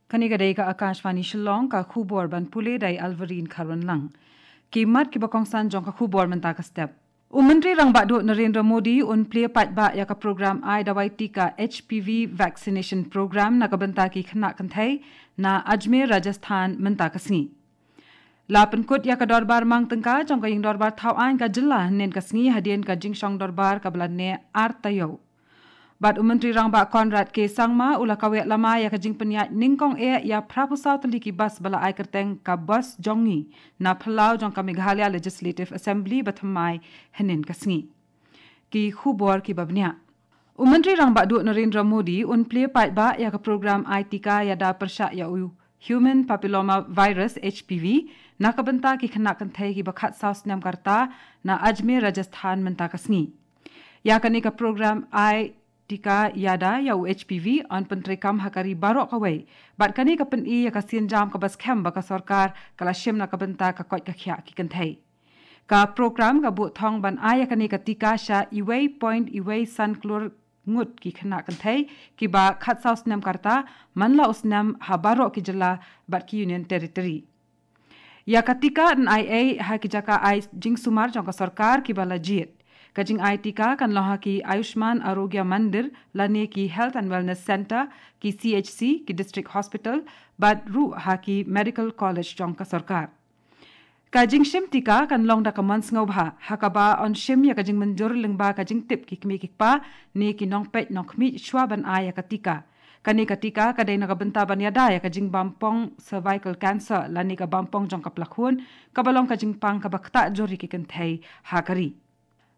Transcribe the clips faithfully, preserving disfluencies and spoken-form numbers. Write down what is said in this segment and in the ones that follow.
Kane ka dei ka Akashvani Shillong, ka khubor ban pule da i Alvarine Kharwanlang. Ki mat kiba kongsan jong ka khubor mynta ka step. U Myntri Rangbah Duh Narendra Modi un plie paidbah ïa ka program ai dawai tika H P V vaccination program na ka bynta ki khynnah kynthei na Ajmer, Rajasthan mynta ka sngi. La pynkut ïa ka dorbar mang tyngka jong ka ïing dorbar thaw aiñ ka jylla hynnin ka sngi hadien ka jingshong dorbar kaba la neh ar taïew. Bad u Myntri Rangbah Conrad K Sangma u la kaweh lama ïa ka jingpynïaid nyngkong eh ïa phra phew saw tylli ki bus ba la ai kyrteng ka Bus Jong Ngi na phyllaw jong ka Meghalaya Legislative Assembly ba thymmai hynnin ka sngi. Ki khubor kiba bniah. U Myntri Rangbah Duh Narendra Modi un plie paidbah ïa ka program ai tika ïada pyrshah ïa u Human Papilloma Virus, H P V, na ka bynta ki khynnah kynthei kiba khatsaw snem ka rta na Ajmer, Rajasthan mynta ka sngi. Ïa kane ka program ai tika ïada ïa u H P V yn pyntreikam ha ka ri baroh kawei. Bad kane ka pyni ïa ka sienjam kaba skhem ba ka sorkar ka la shim na ka bynta ka koit ka khiah ki kynthei. Ka program ka buh thong ban ai ïa kane ka tika sha uwei point uwei san klur ngut ki khynnah kynthei kiba khatsaw snem ka rta man la u snem ha baroh ki jylla bad ki Union Territory. Ïa ka tika yn ai ei ha ki jaka ai jingsumar jong ka sorkar kiba la jied. Ka jingai tika kan long ha ki Ayushman Arogya Mandir lane ki Health and Wellness Centre, ki C H C, ki District Hospital, bad ruh ha ki Medical College jong ka sorkar. Ka jingshim tika kan long da ka mon sngewbha ha kaba yn shim ïa ka jingmynjur lyngba ka jingtip ki kmie ki kpa ne ki nongpeit nongkhmih shwa ban ai ïa ka tika. Kane ka tika ka dei na ka bynta ban ïada ïa ka jingbam pong cervical cancer lane ka bam pong jong ka plakhun, kaba long ka jingpang kaba ktah jur ïa ki kynthei ha ka ri.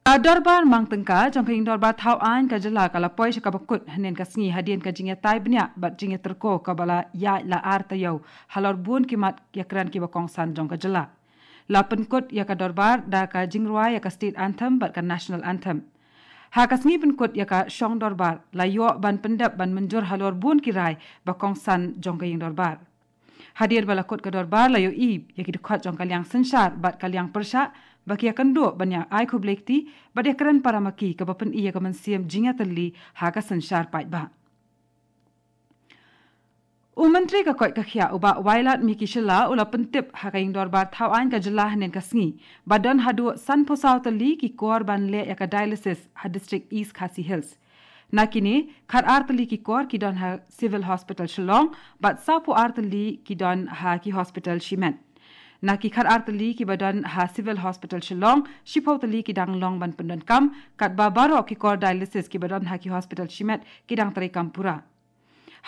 Ka dorbar mang tyngka jong ka ïing dorbar thaw aiñ ka jylla ka la poi sha kaba kut hynnin ka sngi hadien ka jingïatai bniah bad jingïatyrko kaba la ïaid la ar taïew halor bun ki mat ïakren kiba kongsan jong ka jylla. La pynkut ïa ka dorbar da ka jingrwai ïa ka State Anthem bad ka National Anthem. Ha ka sngi pynkut ïa ka shong dorbar la ïoh ban pyndep ban mynjur halor bun ki rai ba kongsan jong ka ïing dorbar. Hadien ba la kut ka dorbar la ïohi ïa ki dkhot jong ka liang synshar bad ka liang pyrshah ba ki ïakynduh ban ïa ai khublei kti bad ïakren para ma ki, kaba pyni ïa ka mynsiem jingïatylli ha ka synshar paidbah. U Myntri ka koit ka khiah u Bah Wailadmiki Shylla u la pyntip ha ka ïing dorbar thaw aiñ ka jylla hynnin ka sngi ba don haduh san phew saw tylli ki kor ban leh ïa ka dialysis ha district East Khasi Hills. Na kine, khat ar tylli ki kor ki don ha Civil Hospital Shillong bad saw phew ar tylli ki don ha ki hospital shimet. Na ki khat ar tylli kiba don ha Civil Hospital Shillong, shiphew tylli ki dang long ban pyndonkam, katba baroh ki kor dialysis kiba don ha ki hospital shimet ki dang treikam pura.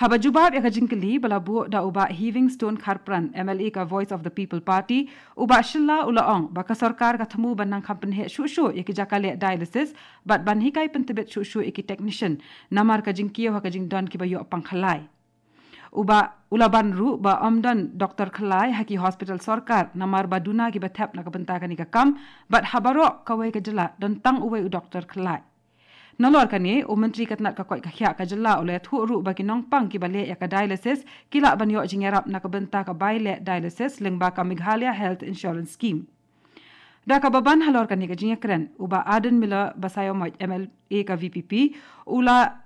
Haba jubab ïa ka jingkylli ba la buh da u Bah Heavingstone Kharpran, M L A ka Voice of the People Party, u Bah Shylla u la ong ba ka sorkar ka thmu ban nang kham pynheh shuh shuh ïa ki jaka leh dialysis bad ban hikai pyntbit shuh shuh ïa ki technician namar ka jingkiew ha ka jingdon kiba ïoh pang khyllai. U Bah u la ban ruh ba ym don doktor khyllai ha ki hospital sorkar namar ba duna kiba thep na ka bynta kane ka kam bad ha baroh kawei ka jylla don tang uwei u doktor khyllai. Nalor kane, u Myntri ka tnat ka koit ka khiah ka jylla u la ïathuh ruh ba ki nongpang kiba leh ïa ka dialysis ki lah ban ïoh jingïarap na ka bynta ka bai leh dialysis lyngba ka Meghalaya Health Insurance Scheme. Da kaba ban halor kane ka jingïakren, u Bah Ardent Miller Basaiawmoit, M L A ka V P P, u la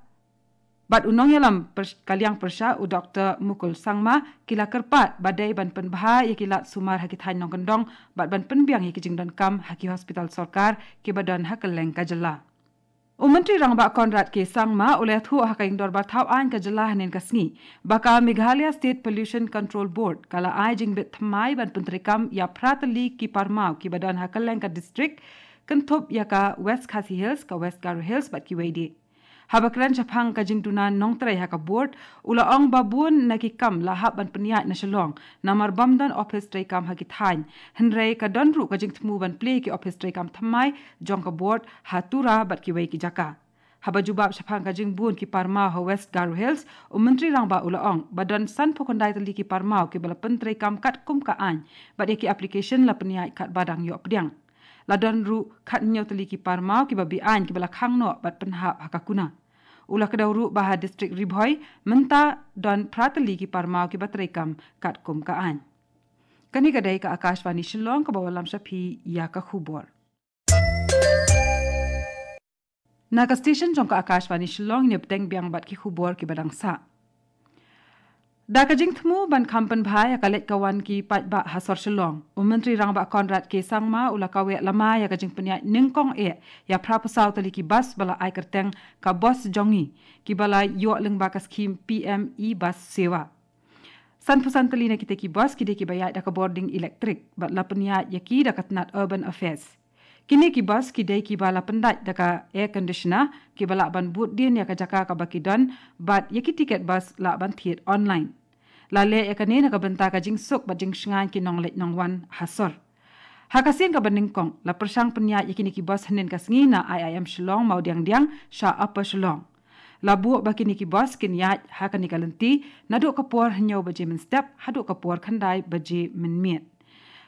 bad u nongïalam pyr-, ka liang pyrshah u Doktor Mukul Sangma ki la kyrpad ba dei ban pynbha ïa ki lad sumar ha ki thaiñ nongkyndong bad ban pynbiang ïa ki jingdonkam ha ki hospital sorkar kiba don ha kylleng ka jylla. U Myntri Rangbah Conrad K Sangma u la ïathuh ha ka ïing dorbar thaw aiñ ka jylla hynnin ka sngi ba ka Meghalaya State Pollution Control Board ka la ai jingbit thymmai ban pyntreikam ïa phra tylli ki parmaw kiba don ha kylleng ka district, kynthup ïa ka West Khasi Hills, ka West Garo Hills bad kiwei de. Haba kren shaphang ka jingduna nongtrei ha ka board, u la ong ba bun na ki kam la hap ban pynïaid na Shillong namar bym don ophis treikam ha ki thaiñ, hynrei ka don ruh ka jingthmu ban plie ki ophis treikam thymmai jong ka board ha Tura bad kiwei ki jaka. Haba jubab shaphang ka jingbun ki parmaw ha West Garo Hills, u Myntri Rangbah u la ong ba don san phew khyndai tylli ki parmaw kiba la pyntreikam katkum ka aiñ bad ïa ki application la pynïaid katba dang ïoh pdiang. La don ruh khathynñiew tylli ki parmaw kiba be-aiñ kiba la khang noh bad pynhap ha ka kuna. U la kdew ruh ba ha district Ri Bhoi mynta don phra tylli ki parmaw kiba treikam katkum ka aiñ. Kane ka dei ka Akashvani Shillong kaba wallam sha phi ïa ka khubor. Na ka station jong ka Akashvani Shillong, ngin ïa bteng biang bad ki khubor kiba dang sah. Da ka jingthmu ban kham pynbha ïa ka leit ka wan ki paidbah ha sor Shillong, u Myntri Rangbah Conrad K Sangma u la kaweh lama ïa ka jingpynïaid nyngkong eh ïa phra phew saw tylli ki bus ba la ai kyrteng ka bus jong ngi, kiba la ïoh lyngba ka skhim P M E Bus Sewa. San phew san tylli na kita ki bus ki dei kiba ïaid da ka bording elektrik bad la pynïaid ïa ki da ka tnat Urban Affairs. Kine ki bus ki dei kiba la pyndait da ka air conditioner, kiba lah ban bud dien ïa ka jaka kaba ki don, bad ïa ki tiket bus lah ban thied online. La leh ïa kane na ka bynta ka jingsuk bad jingshngaiñ ki nongleit nongwan ha sor. Ha ka sien kaba nyngkong, la pyrshang pynïaid ïa kine ki bus hynnin ka sngi na I I M Shillong Mawdiangdiang sha Upper Shillong. La buh ba kine ki bus kin ïaid ha kane ka lynti naduh ka por hynñiew baje mynstep haduh ka por khyndai baje mynmiet.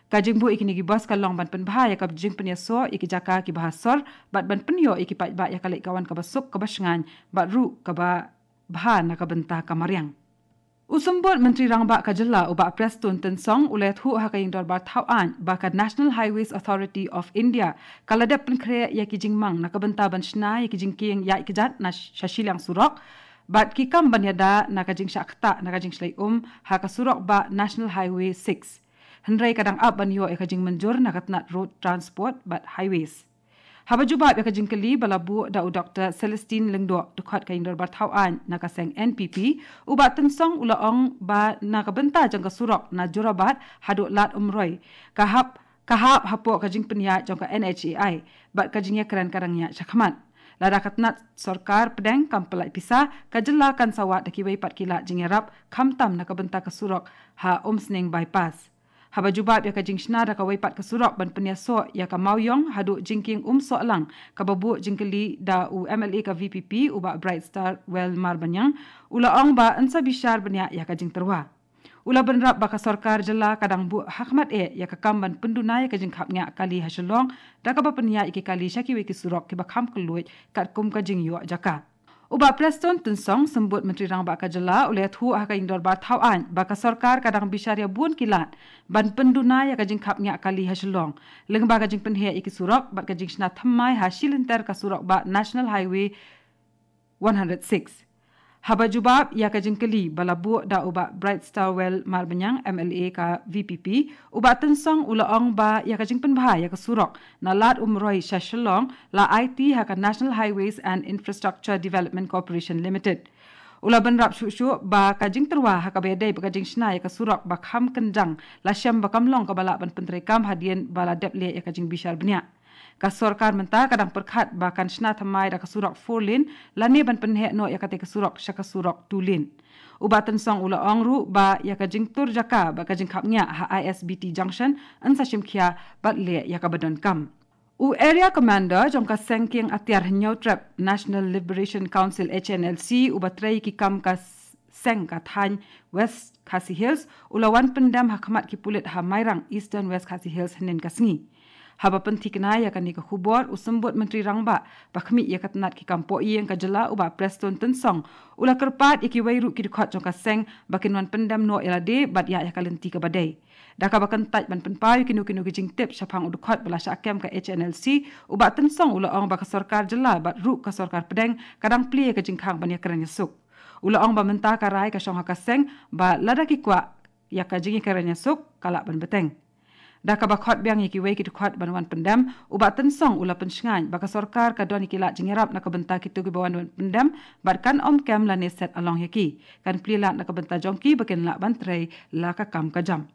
Ka jingbuh ïa kine ki bus ka long ban pynbha ïa ka jingpynïasoh ïa ki jaka kiba ha sor bad ban pynïoh ïa ki paidbah ïa ka leit ka wan kaba suk kaba shngaiñ bad ruh kaba bha na ka bynta ka mariang. U Symbud Myntri Rangbah ka jylla u Bah Prestone Tynsong u la ïathuh ha ka ïing dorbar thaw aiñ ba ka National Highways Authority of India ka la dep pynkhreh ïa ki jingmang na ka bynta ban shna ïa ki jingkieng ïaid kjat na sh- sha shiliang surok bad ki kam ban ïada na ka jingshah ktah na ka jingshlei um ha ka surok bah National Highway six. Hynrei ka dang ap ban ïoh ïa ka jingmynjur na ka tnat Road Transport bad Highways. Haba jubab ïa ka jingkylli ba la buh da u Doktor Celestine Lyngdoh, dkhot ka ïing dorbar thaw aiñ na ka seng N P P, u Bah Tynsong u la ong ba na ka bynta jong ka surok na Jorabat haduh Lad Umroi, ka hap ka hap hapoh ka jingpynïaid jong ka N H A I bad ka jingïakren ka dang ïaid shakhmat. Lada ka tnat sorkar pdeng kam pyllait pisa, ka jylla kan sa wad da kiwei pat ki lad jingïarap, khamtam na ka bynta ka surok ha Umsning Bypass. Haba jubab ïa ka jingshna da kawei pat ka surok ban pynïasoh ïa ka Mawiong haduh jingkieng Umsohlang, kaba buh jingkylli da u M L A ka V P P u Bah Brightstarwell Marbaniang, u la ong ba yn sa bishar bniah ïa ka jingtyrwa. U la bynrap ba ka sorkar jylla ka dang buh hakhmat eh ïa ka kam ban pynduna ïa ka jingkhapngiah kali ha Shillong da kaba pynïaid ïa ki kali sha kiwei ki surok kiba kham kylluid katkum ka jingïoh jaka. U Bah Prestone Tynsong, Symbud Myntri Rangbah ka jylla, u la ïathuh ha ka ïing dorbar thaw aiñ ba ka sorkar ka dang bishar ïa bun ki lad ban pynduna ïa ka jingkhapngiah kali ha Shillong lyngba ka jingpynheh ïa ki surok bad ka jingshna thymmai ha shi lynter ka surok bah National Highway one hundred six. Haba jubab ïa ka jingkylli ba la buh da u Bah Brightstarwell Marbaniang, M L A ka V P P, u Bah Tynsong u la ong ba ïa ka jingpynbha ïa ka surok na Lad Umroi sha Shillong la aiti ha ka National Highways and Infrastructure Development Corporation Limited. U la bynrap shuh shuh ba ka jingtyrwa ha kaba ïadei bad ka jingshna ïa ka surok ba kham kynjang la shem ba kam long kaba lah ban pyntreikam hadien ba la dep leh ïa ka jingbishar bniah. Ka sorkar mynta ka dang pyrkhat ba kan shna thymmai da ka surok four lane lane ban pynheh noh ïa katei ka surok sha ka surok two lane. U Bah Tynsong u la ong ruh ba ïa ka jingtur jaka bad ka jingkhapngiah ha I S B T Junction yn sa shim khia bad leh ïa kaba donkam. U Area Commander jong ka seng kieng atiar Hynñiewtrep National Liberation Council, H N L C, uba trei ki kam ka s- seng ka thaiñ West Khasi Hills, u la wan pyndem ha khmat ki pulit ha Mairang, Eastern West Khasi Hills, hynnin ka sngi. Haba pynthikna ïa kane ka khubor, u Symbud Myntri Rangbah ba khmih ïa ka tnat ki kam pohïing ka jylla u Bah Prestone Tynsong u la kyrpad ïa kiwei ruh ki dkhot jong ka seng ba kin wan pyndem noh ïa lade bad ïa ïa ka lynti kaba dei. Da kaba kyntait ban pynpaw ïa kino kino ki jingtip shaphang u dkhot ba la shah kem ka H N L C, u Bah Tynsong u la ong ba ka sorkar jylla bad ruh ka sorkar pdeng ka dang plie ïa ka jingkhang ban ïakren ïasuk. U la ong ba mynta ka rai ka shong ha ka seng ba lada ki kwah ïa ka jingïakren ïasuk ka lah ban bteng. Da kaba khot biang ïa kiwei ki dkhot ban wan pyndem, u Bah Tynsong u la pynshngaiñ ba ka sorkar ka don ïa ki lad jingïarap na ka bynta kito kiba wan ban pyndem bad kan ym kem lane set along ïa ki. Kan plie lad na ka bynta jong ki ba kin lah ban trei la ka kam ka jam.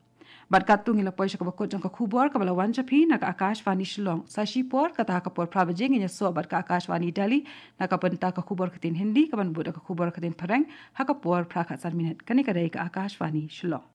Bad katto ngi la poi sha kaba kut jong ka khubor kaba la wan sha phi na ka Akashvani Shillong. Sa shi por, kata ha ka por phra baje ngin ïasoh bad ka Akashvani Delhi na ka bynta ka khubor ktien Hindi, kaban bud da ka khubor ktien Phareng ha ka por phra khatsan minit. Kane ka dei ka Akashvani Shillong.